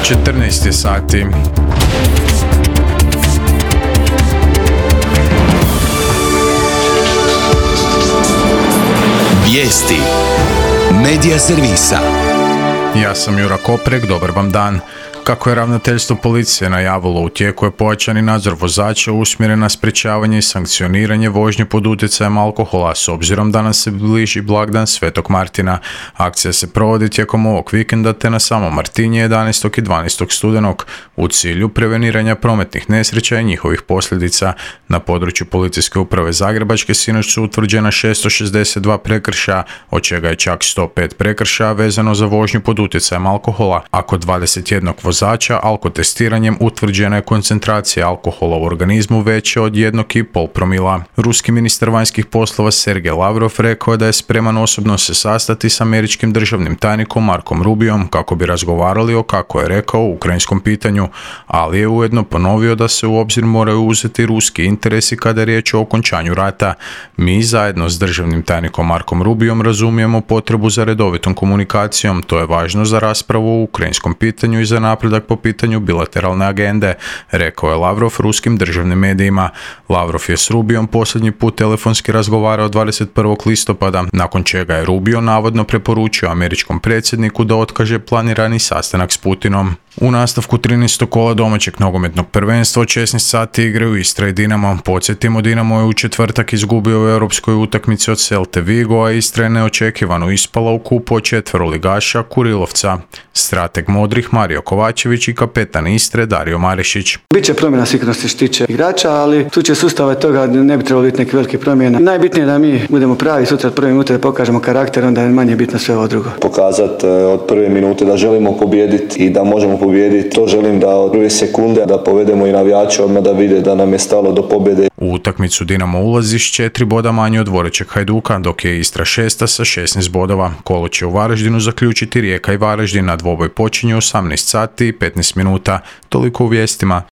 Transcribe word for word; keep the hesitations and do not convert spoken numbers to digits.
četrnaest je sati. Vijesti Medija servisa. Ja sam Jura Koprek, dobar vam dan. Kako je ravnateljstvo policije najavilo, u tijeku je pojačani nadzor vozača usmjeren na sprječavanje i sankcioniranje vožnje pod utjecajem alkohola, s obzirom da nam se bliži blagdan Svetog Martina. Akcija se provodi tijekom ovog vikenda te na samom Martinje jedanaestog i dvanaestog studenog u cilju preveniranja prometnih nesreća i njihovih posljedica. Na području Policijske uprave Zagrebačke sinoć su utvrđena šesto šezdeset dva prekršaja, od čega je čak sto pet prekršaja vezano za vožnju pod utjecajem alkohola, a kod dvadeset jednog vozača alkotestiranjem utvrđena je koncentracija alkohola u organizmu veća od jednog i pol promila. Ruski ministar vanjskih poslova Sergej Lavrov rekao je da je spreman osobno se sastati s američkim državnim tajnikom Markom Rubiom kako bi razgovarali o, kako je rekao, ukrajinskom pitanju, ali je ujedno ponovio da se u obzir moraju uzeti ruski interesi kada je riječ o okončanju rata. Mi zajedno s državnim tajnikom Markom Rubiom razumijemo potrebu za redovitom komunikacijom, to je važno za raspravu o ukrajinskom pitanju i za napredak po pitanju bilateralne agende, rekao je Lavrov ruskim državnim medijima. Lavrov je s Rubijom posljednji put telefonski razgovarao dvadeset prvog listopada, nakon čega je Rubio navodno preporučio američkom predsjedniku da otkaže planirani sastanak s Putinom. U nastavku trinaestog kola domaćeg nogometnog prvenstva od šesnaest sati igraju Istra i Dinamo. Podsjetimo, Dinamo je u četvrtak izgubio u europskoj utakmici od Celte Vigo, a Istra je neočekivano ispala u kupu od četveroligaša Kurilovca. Strateg modrih Mario Kovačević i kapetan Istre Dario Marešić. Biće promjena sigurno se štiče igrača, ali tu će sustava toga ne bi trebalo biti neke velike promjena. Najbitnije je da mi budemo pravi sutra od prve minute, da pokažemo karakter, onda je manje bitno sve ovo drugo. Pokazati od prve minute da želimo pobijediti i da možemo pobijediti. To želim da od prve sekunde da povedemo i navijače odmah da vide da nam je stalo do pobjede. U utakmicu Dinamo ulazi s četiri boda manje od dvorećeg Hajduka, dok je Istra šesta sa šesnaest bodova. Kolo će u Varaždinu zaključiti Rijeka i Varaždin, a dvoboj počinje u osamnaest sati i petnaest minuta. Toliko u vijestima.